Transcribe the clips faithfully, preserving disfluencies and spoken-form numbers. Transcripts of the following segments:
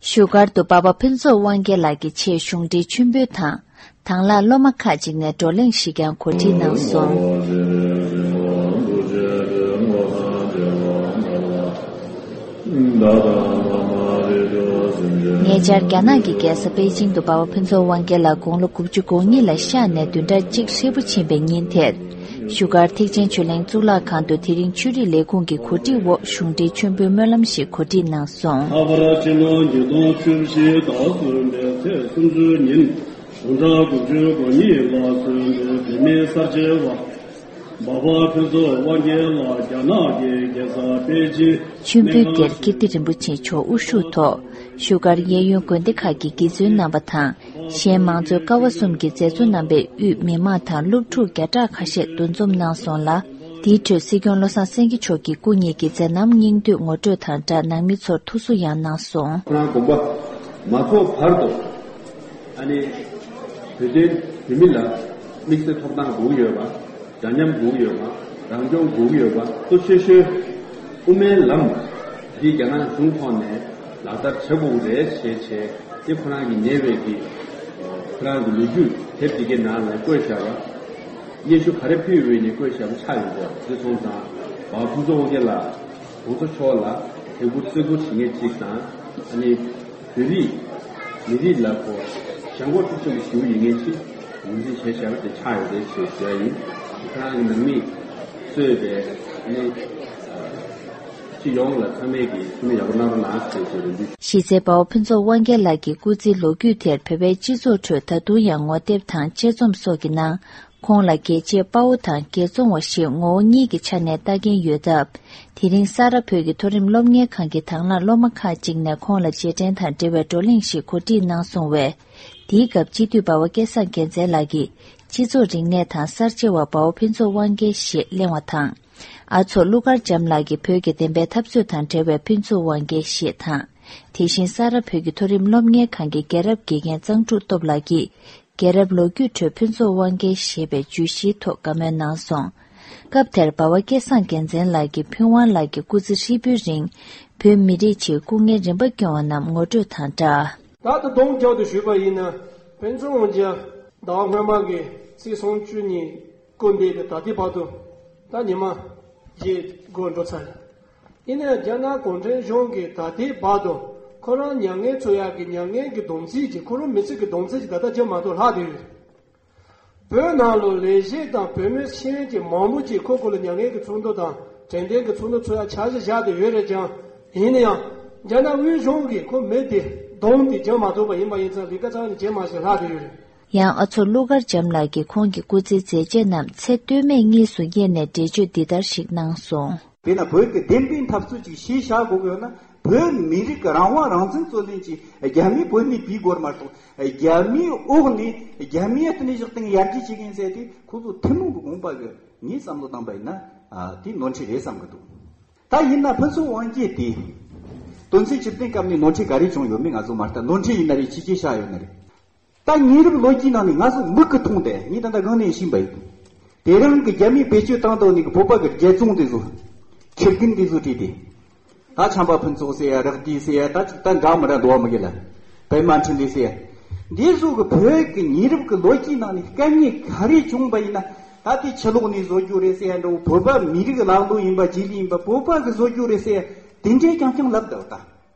བཞུགས་སྒར་དུ་འབའ་པ་ཕུན་ཚོགས་དབང་རྒྱལ་ལགས་ཀྱི་ཆེད་གཞུང་འབྲེལ་མཆོད་འབུལ་དང་། དང་བླངས་སློབ་མ་ཁག་ཅིག་ནས་བགྲོ་གླེང་ཞིག་ཀྱང་གོ་སྒྲིག་གནང་སོང་། ཉེ་ཆར་རྒྱ་ནག་གི་རྒྱལ་ས་པེ་ཅིང་དུ་འབའ་པ་ཕུན་ཚོགས་དབང་རྒྱལ་ལགས་དགུང་ལོ་དགུ་བཅུ་གོ་གཉིས་ལ་ཤར་ནས་བདུན་ཕྲག་གཅིག་ཧྲིལ་པོ་ཕྱིན་པའི་ཉིན་དེར། བཞུགས་སྒར་ཐེག་ཆེན་ཆོས་གླིང་གཙུག་ལག་ཁང་དུ་དེ་རིང་ཆོས་རིག་ལས་ཁུངས་ཀྱི་གོ་སྒྲིག་འོག་གཞུང་འབྲེལ་མཆོད་འབུལ་སྨོན་ལམ་ཞིག་གོ་སྒྲིག་གནང་སོང་། ལྷག་པར་སྤྱི་ལོ་ཉིས་སྟོང་བཅུ་བཞི་ཟླ་གསུམ་པའི་ཚེས་སུམ་ཅུ་ཉིན་གཞུང་གྲངས་དགུ་བཅུ་གོ་གཉིས་ལ་སོན་པའི་བོད་མིའི་གསར་བརྗེ་བ་འབའ་པ་ཕུན་ཚོགས་དབང་རྒྱལ་ལགས་རྒྱ་ནག་གི་རྒྱལ་ས་པེ་ཅིང་། མཆོད་འབུལ་སྒེར་ཀིརྟི་རིན་པོ་ཆེ་མཆོག་དབུ་བཞུགས་ཐོག་བཞུགས་སྒར་གཡས་གཡོན་དགོན་སྡེ་ཁག་གི་དགེ་བཙུན་རྣམ་པ་དང་། གཞན་མང་གཙོའི་ཀ་བ་གསུམ་གྱི་མཛད་གཙོ་རྣམ་པས་དབུས་མི་མང་དང་སློབ་ཕྲུག་བརྒྱ་ཕྲག་ཁ་ཤས་འདུ་འཛོམས་གནང་སོང་ལ། དེའི་ཁྲོད་སྲིད་སྐྱོང་བློ་བཟང་སེང་གེ་མཆོག་གིས་སྐུ་ཉིད་ཀྱི་མཛད་རྣམ་སྙིང་བསྡུས་ངོ་སྤྲོད་དང་སྦྲགས་ནང་མི་ཚོར་ཐུགས་གསོ་ཡང་གནང་སོང་། ཁོ་རང་དགོངས་པ་མ་རྫོགས་བར་དུ། ཨ་ནི། བོད་དོན་བོད་མི་ལ་དམིགས་བསལ་ཐོབ་ཐང་དགོས་ཀྱི་ཡོད་པ། འདྲ་མཉམ་དགོས་ཀྱི་ཡོད་པ། རང་སྐྱོང་དགོས་ཀྱི་ཡོད་པ་གཙོ་ཆེ་ཤོས་དབུ་མའི་ལམ་འདི་རྒྱ་ནག་གཞུང་ཐོག་ནས་ལག་བསྟར་བྱེད་དགོས་ཀྱི་རེད་ཞེས་བྱས་དེ་ཁོ་རང་གི་ཉེ་བའི་གི་ཁོ་རང་གི་ལོ་རྒྱུས་དེབ་དེ་གའི་ནང་ལ་བཀོད་བཞག་པ། སྙན་ཞུ་ག་རེ་ཕུལ་ཡོད་ནས་བཀོད་བཞག་པ་ཆགས་ཡོང་གི་འདུག་དེ་སོང་ཙང་བ་ཕུན་ཚོགས་དབང་རྒྱལ་ལགས་གོང་ས་མཆོག་ལ་དད་གུས་བརྩི་བཀུར་བྱེད་མཁན་གཅིག་དང་ཨ་ནི། བོད་རིགས་མི་རིགས་ལ་གོ་ཞང་གོ་ཀྲུག་ཆོས་ཀྱི་ཞི་བ་ཡིན་ངེས་ཆེ་ངོས་འཛིན་བྱས་བཞག་པ་དེ་ཆགས་ཡོད་རེད་ཞེས་ཞུ་ཡ་ཡིན། ཁོ་རང་གི་ནང་མིས་གཙོས་པའི་ནི་སྤྱི་ཡོངས་ལ་ཚང་མས་ཀྱི་ཐུགས་སྨོན་ཡག་པོ་གནང་རོགས་གནང་ཞེས་ཞུ་རེ་འདུག་གཞི་རྩའི་འབའ་བ་ཕུན་ཚོགས་དབང་རྒྱལ་ལགས་ཀྱི་སྐུ་ཚེའི་ལོ་རྒྱུས་དེར་བོད་པའི་སྤྱི་ཚོགས་ཁྲོད་ད་དུང་ཡང་ངོ་དེབ་དང་དཔྱད་རྩོམ་སོགས་ཀྱི་ནང་། ཁོང་ལ་རྒྱལ་གཅེས་དཔའ་བོ་དང་རྒྱལ་བཙོང་བ་ཞེས་ངོ་བོ་གཉིས་ཀྱི་ཆ་ནས་ལྟ་མཁན་ཡོད་སྟབས། དེ་རིང་ས་རཱ་བོད་ཀྱི་མཐོ་རིམ་སློབ་གཉེར་ཁང་གི་དང་བླངས་སློབ་མ་ཁག་ཅིག་ནས་ཁོང་ལ་རྗེས་དྲན་དང་འབྲེལ་བའི་བགྲོ་གླེང་ཞིག་གོ་སྒྲིག་གནང་སོང་བས། དེའི་སྐབས་སྤྱི་འཐུས་འབའ་བ་སྐལ་བཟང་རྒྱལ་མཚན་ལགས་ཀྱིས་སྤྱི་ཚོགས་རིག་གནས་དང་གསར་བརྗེ་བ་འབའ་བ་ཕུན་ཚོགས་དབང་རྒྱལ་ཞེས་གླེང་བ་དང་། ཨ་མཚོ་ཀླུ་མཁར་བྱམས་ལགས་ཀྱིས་བོད་ཀྱི་བདེན་པའི་འཐབ་རྩོད་དང་འབྲེལ་བའི་ཕུན་ཚོགས་དབང་རྒྱལ་ཞེས་དང་། དེ་བཞིན་ས་རཱ་བོད་ཀྱི་མཐོ་རིམ་སློབ་གཉེར་ཁང་གི་རྒྱལ་རབས་དགེ་རྒན་གཙང་ཕྲུག་སྟོབས་ལགས་ཀྱིས། རྒྱལ་རབས་ལོ་རྒྱུས་ཁྲོད་ཕུན་ཚོགས་དབང་རྒྱལ་ཞེས་པའི་བརྗོད་གཞིའི་ཐོག་བཀའ་མོལ་གནང་སོང་། སྐབས་དེར་འབའ་བ་སྐལ་བཟང་རྒྱལ་མཚན་ལགས་ཀྱིས་ཕུན་དབང་ལགས་ཀྱི་སྐུ་ཚེ་ཧྲིལ་པོའི་རིང་བོད་མི་རིགས་ཆེད་སྐུ་ངལ་རིམ་པ་བསྐྱོན་པ་རྣམས་ངོ་སྤྲོད་དང་སྦྲགས། ད་ལྟ་སྡོམ་རྒྱག་ཏུ་ཞུས་པ་ཡིན་ན་ཕུན་ཚོགས་དབང་རྒྱལ་ཟླ་བ་སྔོན་མ་གི་ཚེས་སུམ་ཅུ་ཉིན་སྐུ་འདས་པའི་ད་ལྟའི་བར་དུ་ད་ཉི་མ་བརྒྱད་འགོར་འགྲོ་ཚར། ཡིན་ནའང་རྒྱ་ནག་གུང་ཁྲན་གཞུང་གིས་ད་ལྟའི་བར་དུ་ཁོ་རང་མྱ་ངན་འཚོ་ཡག་གི་མྱ་ངན་གྱི་སྡོམ་རྩིས་ཀྱི་ཁོ་རང་མི་ཚེ་གི་སྡོམ་རྩིས་ཀྱི་ད་ལྟ་བརྒྱབ་མ་གཏོགས་ལྷག་བསྡད་ཡོད། བོད་ནང་ལ་ལས་བྱེད་དང་བོད་མི་ཤེས་ཡོན་ཅན་མང་པོ་ཅིག་ཁོ་ཁོ་ལ་མྱ་ངན་གྱི་ཚོགས་འདུ་དང་དྲན་རྟེན་གྱི་ཚོགས་འདུ་འཚོགས་ཡག་འཆར་གཞི་བཞག་བསྡད་ཡོད་རེད་ཀྱང་། ཡིན་ན་ཡང་རྒྱ་ནག་དབུས་གཞུང་གིས་ཁོ་མི་དེ་སྡོམ་དེ་བརྒྱབ་མ་ཐུབ་པ་ཡིན་པ་ཡིན་ཙང་ལས་ཀ་རྩ་བ་ནས་བྱེད་མ་ཤེས་ལྷག་བསྡད་ཡོད་རེད། ཡང་ཨ་མཚོ་ཀླུ་མཁར་བྱམས་ལགས་ཀྱིས་ཁོང་གི་སྐུ་ཚེའི་མཛད་རྗེས་རྣམས་ཚེ་སྟོད་སྨད་གཉིས་སུ་དབྱེ་ནས་འགྲེལ་བརྗོད་འདི་ལྟར་ཞིག་གནང་སོང་། དེས་ན་བོད་ཀྱི་བདེན་པའི་འཐབ་རྩོད་ཅིག་བྱས་བཞག་དགོས་ཀྱི་ཡོད་ན་བོད་མི་རིགས་ཀྱི་རང་དབང་རང་བཙན་རྩོད་ལེན་གྱིས་རྒྱ་མིའི་བོད་ནས་བུད་དགོས་མ་གཏོགས་རྒྱ་མིའི་འོག་ནས་རྒྱ་མིའི་སྟེང་ནས་བཞག་སྟེང་ཡར་རྒྱས་བྱེད་མཁན་ཟེར་དེ་ཁོ་ཚོ་ཐུན་མོང་གི་དགོངས་པ་གི་ངས་བསམ་བློ་བཏང་པ་ཡིན་ན་དེ་ནོར་འཁྲུལ་རེད་བསམ་གི་འདུག་ད་ཡིན་ན་ཕུན་ཚོགས་དབང་རྒྱལ་དེ་དོན་ཚན་བཅུ་བདུན་སྐབས་ནས་ནོར་འཁྲུལ་ག་རེ་བྱུང་ཡོད་མེད་ང་ཚོ་མ་ལྟ་ནོར་འཁྲུལ་ཡིན་ན་རེད་ཕྱི་རྒྱལ་ཤག་ཡོད་ན་རེད། ད་ཉེ་རབས་ལོ་རྒྱུས་ནང་ནས་ང་ཚོ་མིག་གིས་མཐོང་སྟེ་ངས་ད་ལྟ་སྒང་ནས་ཤེས་པ་ཡིན། དེ་རིང་གི་རྒྱ་མིས་བེད་སྤྱོད་བཏང་སྟངས་ནི་གི་བོད་པ་གི་རྒྱལ་བཙོང་དེ་ཚོ། ཁྱི་རྒན་དེ་ཚོ་བྲིས་ཏེ། ད་བྱམས་པ་ཕུན་ཚོགས་ཟེར་ཡ་རག་དུས་ཟེར་ཡ་ད་ཅིག་ད་འདྲ་མི་འདྲ་འདུག་བ་མི་གི་ལ། པད་མ་འཕྲིན་ལས་ཟེར་ཡ། འདི་ཚོ་གི་བོད་ཀྱི་ཉེ་རབས་ཀྱི་ལོ་རྒྱུས་ནང་ནས་དཀའ་ངལ་ག་རེ་བྱུང་བ་ཡིན་ན་ད་དེ་ཕྱི་ལོགས་ནས་བཟོ་རྒྱུ་རེད་ཟེར་ཡ་འདྲ་བོ་བོད་པ་མི་རིགས་ལ་ལོ་ཡིན་པ་རྗེས་ལུས་ཡིན་པ་བོད་པ་གི་བཟོ་རྒྱུ་རེད་ཟེར་ཡ་དེ་འདྲའི་རྐྱང་རྐྱང་ལབ་འདུག་ད།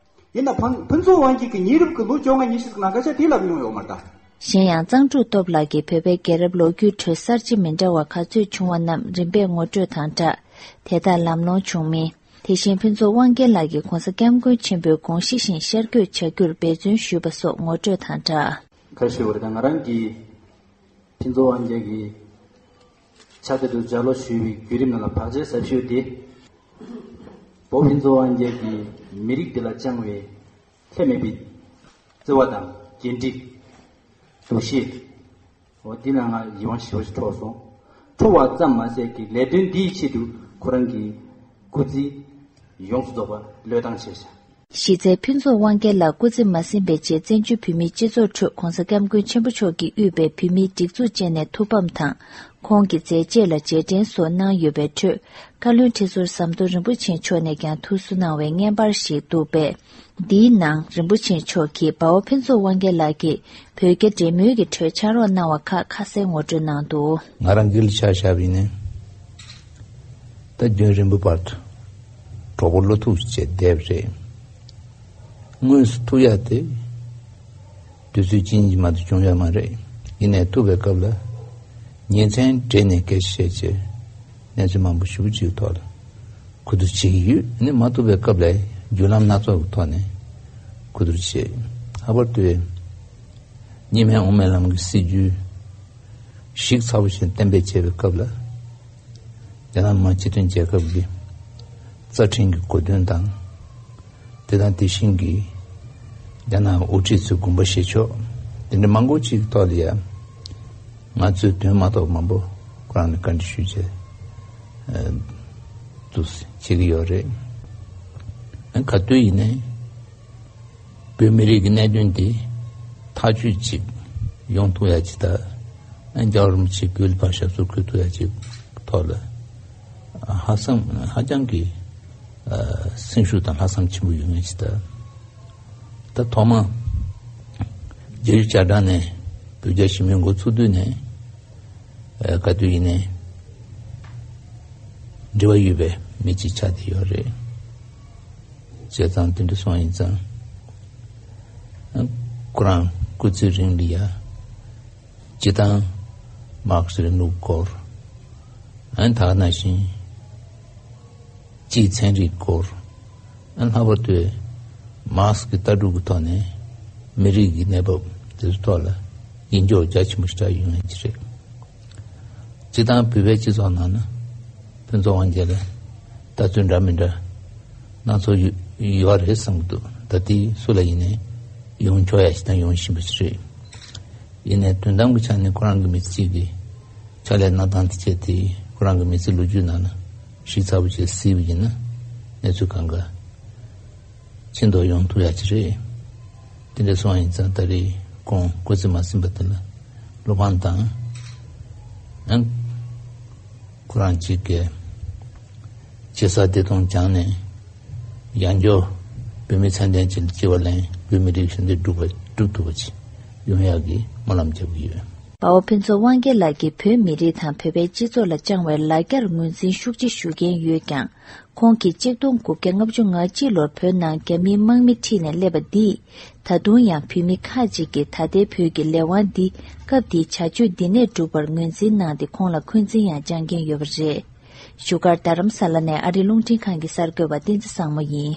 ཡིན་ན་ཕུན་ཕུན་ཚོགས་དབང་རྒྱལ་གྱི་ཉེ་རབས་ཀྱི་ལོ་བཅོ་ལྔ་ཉི་ཤུ་ཟིག་ནང་སྐད་ཆ་དེ་ལབ་མྱོང་ཡོད་མ་རེད་ད། གཞན་ཡང་གཙང་ཕྲུག་སྟོབས་ལགས་ཀྱིས་བོད་པའི་རྒྱལ་རབས་ལོ་རྒྱུས་ཁྲོད་གསར་བརྗེ་མི་འདྲ་བ་ག་ཚོད་བྱུང་བ་རྣམས་རིམ་པས་ངོ་སྤྲོད་དང་སྦྲགས། དེ་དག་ལམ་ལྷོང་བྱུང་མིན། དེ་བཞིན་ཕུན་ཚོགས་དབང་རྒྱལ་ལགས་ཀྱིས་༧གོང་ས་༧སྐྱབས་མགོན་ཆེན་པོའི་དགོངས་གཞི་བཞིན་ཤར་བསྐྱོད་བྱ་རྒྱུར་འབད་བརྩོན་ཞུས་པ་སོགས་ངོ་སྤྲོད་དང་སྦྲགས། ཁ་ཤས་བར་དང་ང་རང་གིས་ཕུན་ཚོགས་དབང་རྒྱལ་གྱི་ཕྱག་དེབ་ཏུ་ལྗགས་ཀློག་ཞུས་པའི་བརྒྱུད་རིམ་ནང་ལ་བག་ཆགས་ཟབ་ཤོས་དེ། བོད་ཕུན་ཚོགས་དབང་རྒྱལ་གྱིས་མི་རིགས་འདི་ལ་བཅངས་པའི་ལྷད་མེད་པའི་བརྩེ་བ་དང་འགན་འཁྲི། འདུ་ཤེས། འོ་འདི་ལ་ང་ཡིད་དབང་ཞེ་པོ་ཞིག་འཕྲོག་སོང་། འཕྲོག་པ་ཙམ་མ་ཟད་ཀྱི་ལས་དོན་འདིའི་ཆེད་དུ་ཁོ་རང་གི་སྐུ་ཚེ་ཡོངས་སུ་རྫོགས་པ་བློས་བཏང་བྱས་ཤག་གཞི་རྩའི་ཕུན་ཚོགས་དབང་རྒྱལ་ལགས་སྐུ་ཚེ་མ་ཟིན་པའི་རྗེས་བཙན་བྱོལ་བོད་མིའི་སྤྱི་ཚོགས་ཁྲོད་༧གོང་ས་༧སྐྱབས་མགོན་ཆེན་པོ་མཆོག་གིས་དབུས་པའི་བོད་མིའི་སྒྲིག་འཛུགས་བཅས་ནས་ཐུགས་ཕམ་དང་། ཁོང་གི་མཛད་རྗེས་ལ་རྗེས་དྲན་སོགས་གནང་ཡོད་པའི་ཁྲོད། བཀའ་བློན་ཁྲི་ཟུར་ཟམ་གདོང་རིན་པོ་ཆེ་མཆོག་ནས་ཀྱང་ཐུགས་གསོ་གནང་བའི་བརྔན་པར་ཞིག་འདུག་པས། འདིའི་ནང་རིན་པོ་ཆེ་མཆོག་གིས་དཔའ་བོ་ཕུན་ཚོགས་དབང་རྒྱལ་ལགས་ཀྱིས་བོད་རྒྱ་འབྲེལ་མོལ་གྱི་ཁྲོད་ཕྱག་རོགས་གནང་བ་ཁག་ཁ་གསལ་ངོ་སྤྲོད་གནང་འདུག། ང་རང་སྒེར་ལ་ཆ་བཞག་པ་ཡིན་ན། ད་རྒྱུན་རིང་པོའི་བར་དུ་གྲོགས་པོ་བློ་ཐུག་བྱས་བསྡད་པ་རེད། དངོས་སུ་ཐུག་ཡག་དེ་དུས་ཚོད་གཅིག་གཉིས་མ་གཏོགས་བྱུང་ཡོད་མ་རེད། ཡིན་ནའི་ཐུག་པའི་སྐབས་ལ་ཉིན་མཚན་བྲལ་ནས་སྐད་ཆ་བཤད་བྱས་གནས་ཚུལ་མང་པོ་ཞེ་པོ་ཅིག་ཐོག་ལ་གོ་བསྡུར་བྱེད་ཀྱི་ཡོད། ཨ་ནི་མ་ཐུག་པའི་སྐབས་ལ་བརྒྱུད་ལམ་སྣ་ཚོགས་ཀྱི་ཐོག་ནས་གོ་བསྡུར་བྱས། ལྷག་པར་དུ་གཉིས་སྨན་དབུ་མའི་ལམ་གྱི་སྲིད་བྱུས་ཞིབ་ཚགས་པོ་ཞིག་གཏན་འབེབས་བྱས་པའི་སྐབས་ལ། རྒྱ་ནག་མི་དམངས་སྤྱི་མཐུན་རྒྱལ་ཁབ་ཀྱི་རྩ་ཁྲིམས་ཀྱི་གོ་དོན་དང་། དེ་དང་དེ་བཞིན་གྱི་རྒྱ་ནག་དབུ་ཁྲིད་ཚོའི་དགོངས་པ་བཞེས་ཕྱོགས་དེ་འདྲ་མང་པོ་ཅིག་ཐོག་ལ་ཡང་ང་ཚོས་དོན་མ་རྟོགས་མང་པོ་ཁོ་རང་ལ་བཀའ་འདྲི་ཞུས་བྱས་ཨ་འདུག་བྱེད་ཀྱི་ཡོད་རེད། ཨ་ག་དུས་ཡིན་ནའི། བོད་མི་རིགས་ཀྱི་གནད་དོན་དེ་ཐག་གཅོད་ཅིག་ཡོང་ཐུབ་ཡ་ཅིག་དང་། ཨ་རྒྱལ་བ་རིན་པོ་ཆེ་བོད་ལ་ཕར་ཞབས་སོར་འཁོད་ཐུབ་ཡ་ཅིག་ཐོག་ལ་ཧ་སང་ཧ་ཅང་གི་ཨ་སེམས་ཤུགས་དང་ལྷག་བསམ་ཆེན་པོ་ཡོད་མཁན་ཅིག་དང་། ད་ཐོག་མ་རྒྱལ་གཞུང་བཅའ་ཁྲིམས་ནས་བོད་རྒྱ་ཞི་མོལ་འགོ་ཚུགས་དུས་ནས། ཨ་ག་དུས་ཡིན་ནའི་འབྲེལ་བ་ཡོད་པའི་མི་གཅིག་ཆགས་བསྡད་ཡོད་རེད། བྱས་ཙང་དེ་འདྲ་སོང་ཡིན་ཙང་། ཨ་ཁོ་རང་སྐུ་ཚེ་རིང་ལ་ཡ་སྤྱི་བཏང་མར་ཁེ་སི་རིང་ལུགས་སྐོར། ཨ་ད་ག་ནང་བཞིན་སྤྱིའི་ཚན་རིག་སྐོར། ཨ་ལྷག་པར་དུ་མར་ཁེ་སི་གི་ལྟ་གྲུབ་ཀྱི་ཐོག་ནས་མི་རིགས་ཀྱི་གནས་བབ་དེ་ཚོའི་ཐོག་ལ་ཡིད་འཇོག་རྒྱ་ཆེན་པོ་ཞིག་བྱ་ཡོང་ཡ་གཅིག་རེད། སྤྱི་བཏང་བོད་པའི་སྤྱི་ཚོགས་ནང་ན་ཕུན་ཚོགས་དབང་རྒྱལ་ལ་ལྟ་ཚུལ་འདྲ་མི་འདྲ་སྣ་ཚོགས་ཡོད་ཡོད་རེད་བསམ་གྱི་འདུག། ད་ལྟའི་སུ་ལ་ཡིན་ནའི་ཡོང་ཆོག་ཡ་ཞིག་དང་ཡོང་བཞིན་པ་ཞིག་རེད། ཡིན་ནའི་དོན་དམ་གྱི་ཆ་ནས་ཁོ་རང་གི་མི་ཚེ་གཅིག་གི་ཕྱག་ལས་གནང་སྟངས་དེ་བྱས་ཏེ་ཁོ་རང་གི་མི་ཚེ་ལོ་རྒྱུས་ནང་ན་ཞིབ་ཚགས་པོ་བྱས་གཟིགས་པ་ཡིན་ན་གནས་ཚུལ་གང་ག་ཕྱིན་ཐོག་ཡོང་ཐུབ་ཡ་ཅིག་རེད། དེ་འདྲ་སོང་ཡིན་ཙང་ད་རེས་ཁོང་སྐུ་ཚེ་མ་ཟིན་པ་དེ་ལ་བློ་ཕམ་དང་། ཡང་ཁོ་རང་གཅིག་གིས་ཇི་སྲིད་བདེ་ཐང་བྱུང་ནས་ཡང་བསྐྱར་བོད་མི་ཚད་ལྡན་ཅིག་ལ་སྐྱེ་བ་ལེན། བོད་མི་རིགས་ཞི་བདེ་སྒྲུབ་པ་སྒྲུབ་ཐུབ་པ་ཅིག་ཡོང་ཡག་གི་སྨོན་ལམ་རྒྱག་གི་ཡོད། དཔའ་བོ་ཕུན་ཚོགས་དབང་རྒྱལ་ལགས་ཀྱིས་བོད་མི་རིགས་དང་བོད་པའི་སྤྱི་ཚོགས་ལ་བཅངས་བའི་ལ་རྒྱར་ངོས་འཛིན་ཤུགས་ཆེ་ཞུ་མཁན་ཡོད་ཀྱང་། ཁོང་གིས་གཅིག་སྟོང་དགུ་བརྒྱ་ལྔ་བཅུ་ང་གཅིག་ལོར་བོད་ནང་རྒྱ་མིའི་དམག་མི་ཁྲིད་ནས་སླེབས་པ་འདིས། ད་དུང་ཡང་བོད་མི་ཁག་ཅིག་གིས་ད་ལྟའི་བོད་ཀྱི་ལས་དབང་འདི་སྐབས་འདིའི་བྱ་སྤྱོད་འདི་ནས་བསྒྲུབས་པར་ངོས་འཛིན་གནང་སྟེ་ཁོང་ལ་འཁོན་འཛིན་ཡང་བཅང་མཁན་ཡོད་པ་རེད། བཞུགས་སྒར་རྡ་རམ་ས་ལ་ནས་ཨ་རིའི་རླུང་འཕྲིན་ཁང་གི་གསར་འགོད་པ་བསྟན་འཛིན་བཟང་མོ་ཡིན།